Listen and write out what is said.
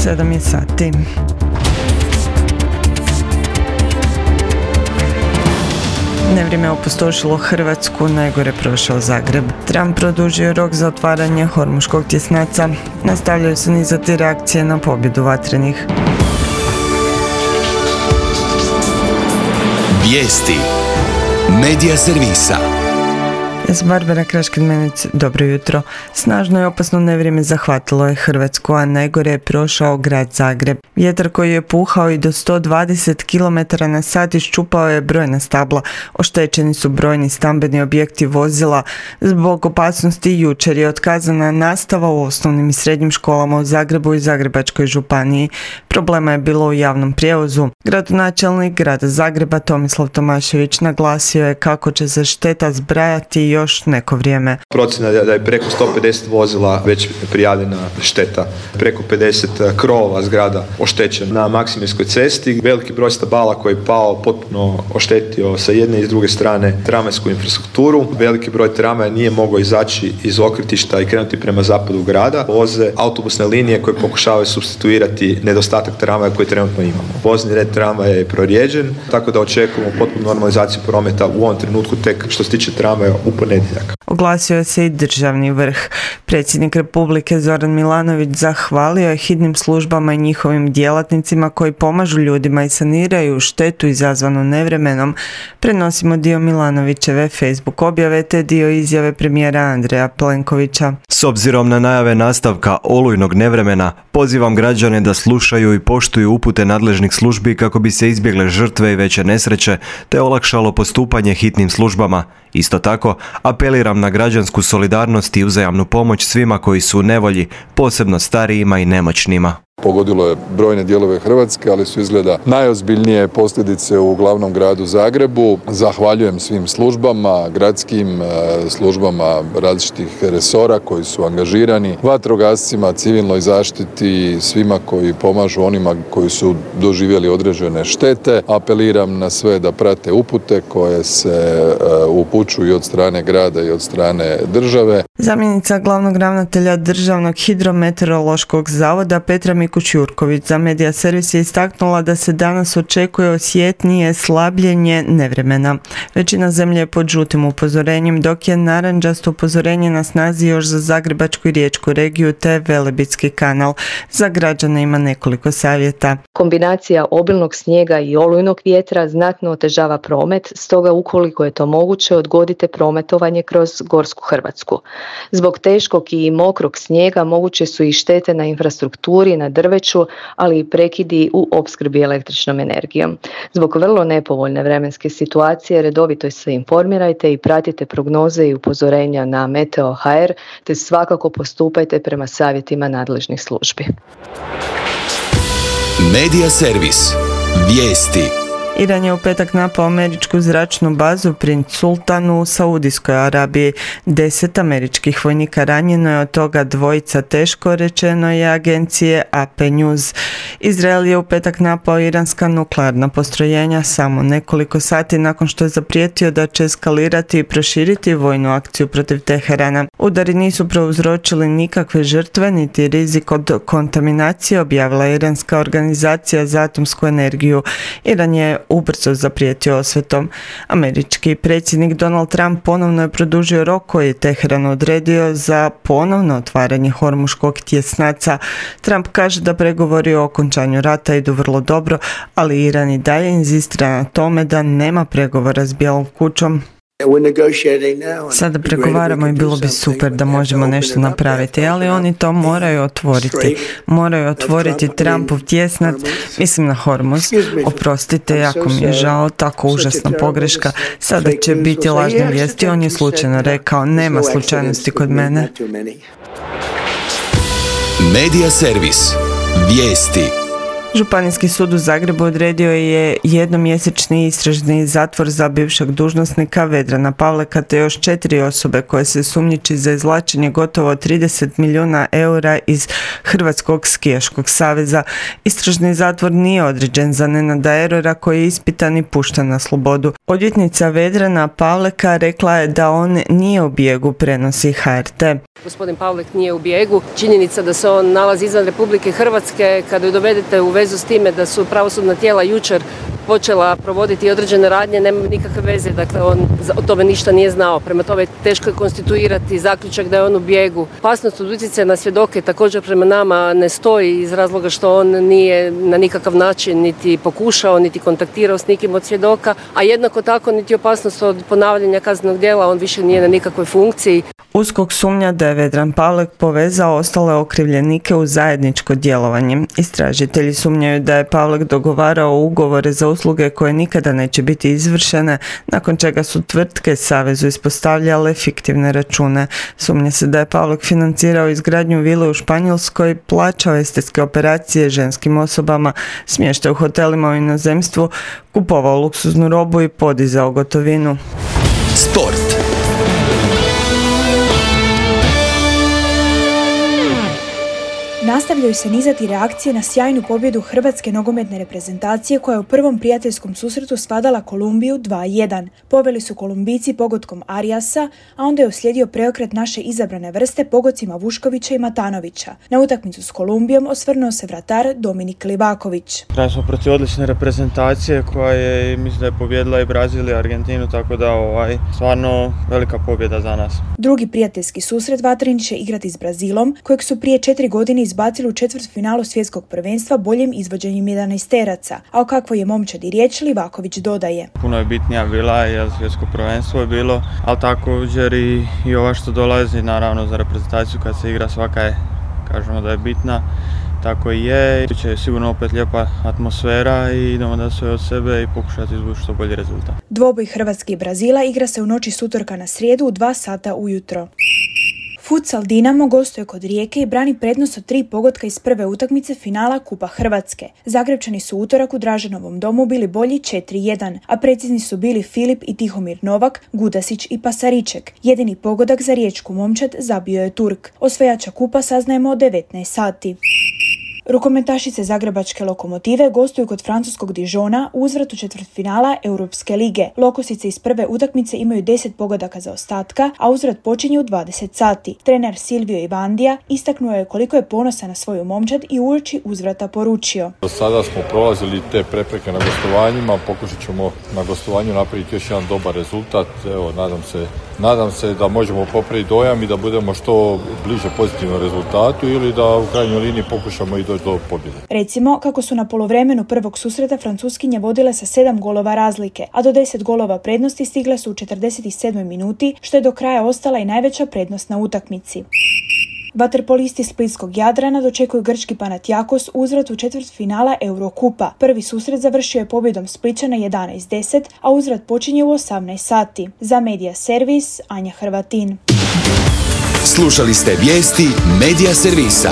7 je sati. Nevrijeme je opustošilo Hrvatsku, najgore prošao Zagreb. Trump produžio rok za otvaranje Hormuškog tjesnaca. Nastavljaju se nizati reakcije na pobjedu vatrenih. Vijesti Medija servisa. Ja sam Barbara Kraškin-Menec, dobro jutro. Snažno i opasno nevrijeme zahvatilo je Hrvatsku, a najgore je prošao grad Zagreb. Vjetar koji je puhao i do 120 km na sat iščupao je brojna stabla. Oštećeni su brojni stambeni objekti, vozila. Zbog opasnosti jučer je otkazana nastava u osnovnim i srednjim školama u Zagrebu i Zagrebačkoj županiji. Problema je bilo u javnom prijevozu. Gradonačelnik grada Zagreba Tomislav Tomašević naglasio je kako će se šteta zbrajati još neko vrijeme. Procjena je da je preko 150 vozila već prijavljena šteta, preko 50 krovova zgrada oštećeno. Na Maksimirskoj cesti veliki broj stabala koji je pao potpuno oštetio sa jedne i s druge strane tramvajsku infrastrukturu. Veliki broj tramvaja nije mogao izaći iz okretišta i krenuti prema zapadu grada. Voze autobusne linije koje pokušavaju supstituirati nedostatak tramvaja koji trenutno imamo. Vozni red tramvaja je prorijeđen, tako da očekujemo potpunu normalizaciju prometa u ovom trenutku tek što se tiče tramvaja u ponedjeljak. Oglasio se i državni vrh. Predsjednik Republike Zoran Milanović zahvalio je hitnim službama i njihovim djelatnicima koji pomažu ljudima i saniraju štetu izazvanu nevremenom. Prenosimo dio Milanovićeve Facebook objave te dio izjave premijera Andreja Plenkovića. S obzirom na najave nastavka olujnog nevremena, pozivam građane da slušaju i poštuju upute nadležnih službi kako bi se izbjegle žrtve i veće nesreće te olakšalo postupanje hitnim službama. Isto tako, apeliram na građansku solidarnost i uzajamnu pomoć svima koji su u nevolji, posebno starijima i nemoćnima. Pogodilo je brojne dijelove Hrvatske, ali su izgleda najozbiljnije posljedice u glavnom gradu Zagrebu. Zahvaljujem svim službama, gradskim službama različitih resora koji su angažirani, vatrogascima, civilnoj zaštiti, svima koji pomažu onima koji su doživjeli određene štete. Apeliram na sve da prate upute koje se upućuju od strane grada i od strane države. Zamjenica glavnog ravnatelja Državnog hidrometeorološkog zavoda Petra Mikuš-Jurković za Medija servis je istaknula da se danas očekuje osjetnije slabljenje nevremena. Većina zemlje je pod žutim upozorenjem, dok je narančasto upozorenje na snazi još za Zagrebačku i Riječku regiju te Velebitski kanal. Za građane ima nekoliko savjeta. Kombinacija obilnog snijega i olujnog vjetra znatno otežava promet, stoga ukoliko je to moguće odgodite prometovanje kroz Gorsku Hrvatsku. Zbog teškog i mokrog snijega moguće su i štete na infrastrukturi, na drveću, ali i prekidi u opskrbi električnom energijom. Zbog vrlo nepovoljne vremenske situacije redovito se informirajte i pratite prognoze i upozorenja na Meteo.hr te svakako postupajte prema savjetima nadležnih službi. Medija servis. Vijesti. Iran je u petak napao američku zračnu bazu Princ Sultan u Saudijskoj Arabiji. 10 američkih vojnika ranjeno je, od toga 2 teško, rečeno je agencije AP News. Izrael je u petak napao iranska nuklearna postrojenja samo nekoliko sati nakon što je zaprijetio da će eskalirati i proširiti vojnu akciju protiv Teherana. Udari nisu prouzročili nikakve žrtve niti rizik od kontaminacije, objavila iranska organizacija za atomsku energiju. Iran je ubrzo zaprijetio osvetom. Američki predsjednik Donald Trump ponovno je produžio rok koji je Teheran odredio za ponovno otvaranje Hormuškog tjesnaca. Trump kaže da pregovori o okončanju rata idu vrlo dobro, ali Iran i dalje inzistira na tome da nema pregovora s Bijelom kućom. Sada pregovaramo i bilo bi super da možemo nešto napraviti, ali oni to moraju otvoriti. Moraju otvoriti Trumpov tjesnac, mislim na Hormuz. Oprostite, jako mi je žao, tako užasna pogreška. Sada će biti lažne vijesti, on je slučajno rekao, nema slučajnosti kod mene. Medija servis. Vijesti. Županijski sud u Zagrebu odredio je jednomjesečni istražni zatvor za bivšeg dužnosnika Vedrana Pavleka te još 4 osobe koje se sumnjiči za izvlačenje gotovo 30 milijuna eura iz Hrvatskog skijaškog saveza. Istražni zatvor nije određen za Nenada Erora koji je ispitan i pušten na slobodu. Odvjetnica Vedrana Pavleka rekla je da on nije u bijegu, prenosi HRT. Gospodin Pavlek nije u bijegu. Činjenica da se on nalazi izvan Republike Hrvatske, kada ju dovedete u vezu s time da su pravosudna tijela jučer počela provoditi određene radnje, nema nikakve veze, dakle on o tome ništa nije znao. Prema tome teško je konstituirati zaključak da je on u bijegu. Opasnost od utjecaja na svjedoke također prema nama ne stoji iz razloga što on nije na nikakav način niti pokušao, niti kontaktirao s nikim od svjedoka, a jednako tako niti opasnost od ponavljanja kaznenog djela, on više nije na nikakvoj funkciji. USKOK sumnja da je Vedran Pavlek povezao ostale okrivljenike u zajedničko djelovanje. Istražitelji sumnjaju da je Pavlek dogovarao ugovore za usluge koje nikada neće biti izvršene, nakon čega su tvrtke savezu ispostavljale fiktivne račune. Sumnja se da je Pavlek financirao izgradnju vile u Španjolskoj, plaćao estetske operacije ženskim osobama, smještaj u hotelima u inozemstvu, kupovao luksuznu robu i podizao gotovinu. Sport. Nastavljaju se nizati reakcije na sjajnu pobjedu hrvatske nogometne reprezentacije koja je u prvom prijateljskom susretu svladala Kolumbiju 2-1. Poveli su Kolumbijci pogodkom Ariasa, a onda je uslijedio preokret naše izabrane vrste pogodcima Vuškovića i Matanovića. Na utakmicu s Kolumbijom osvrnuo se vratar Dominik Livaković. Igrali smo protiv odlične reprezentacije koja je, mislim da je pobjedila i Brazil i Argentinu, tako da stvarno velika pobjeda za nas. Drugi prijateljski susret Vatrin će igrati s Brazilom, kojeg su prije 4 godine izbacili u četvrtfinalu svjetskog prvenstva boljim izvođenjem 11-teraca, a o kakvoj je momčadi riječ Livaković dodaje. Puno je bitnija bila jer svjetsko prvenstvo je bilo, ali također i ova što dolazi naravno za reprezentaciju kad se igra svaka je, kažemo da je bitna, tako i je. Biće je sigurno opet lijepa atmosfera i idemo da sve od sebe i pokušati izvući što bolji rezultat. Dvoboj Hrvatske i Brazila igra se u noći s utorka na srijedu u 2 sata ujutro. Futsal Dinamo gostuje kod Rijeke i brani prednost od 3 pogotka iz prve utakmice finala Kupa Hrvatske. Zagrebčani su utorak u Draženovom domu bili bolji 4-1, a precizni su bili Filip i Tihomir Novak, Gudasić i Pasariček. Jedini pogodak za riječku momčad zabio je Turk. Osvajača kupa saznajemo od 19 sati. Rukometašice Zagrebačke Lokomotive gostuju kod francuskog Dijona u uzvratu četvrtfinala Europske lige. Lokosice iz prve utakmice imaju 10 pogodaka za ostatka, a uzvrat počinje u 20 sati. Trener Silvio Ivandija istaknuo je koliko je ponosan na svoju momčad i uoči uzvrata poručio. Do sada smo prolazili te prepreke na gostovanjima, pokušat ćemo na gostovanju napraviti još jedan dobar rezultat. Evo, nadam se da možemo popraviti dojam i da budemo što bliže pozitivnom rezultatu ili da u krajnjoj liniji pokušamo i doći do pobjede. Recimo, kako su na poluvremenu prvog susreta Francuskinje vodile sa 7 golova razlike, a do 10 golova prednosti stigle su u 47. minuti, što je do kraja ostala i najveća prednost na utakmici. Vaterpolisti splitskog Jadrana dočekuju grčki Panathinaikos u uzvratu četvrtfinala Eurokupa. Prvi susret završio je pobjedom Splićana 11-10, a uzvrat počinje u 18 sati. Za Medija Servis, Anja Hrvatin. Slušali ste vijesti Medija Servisa.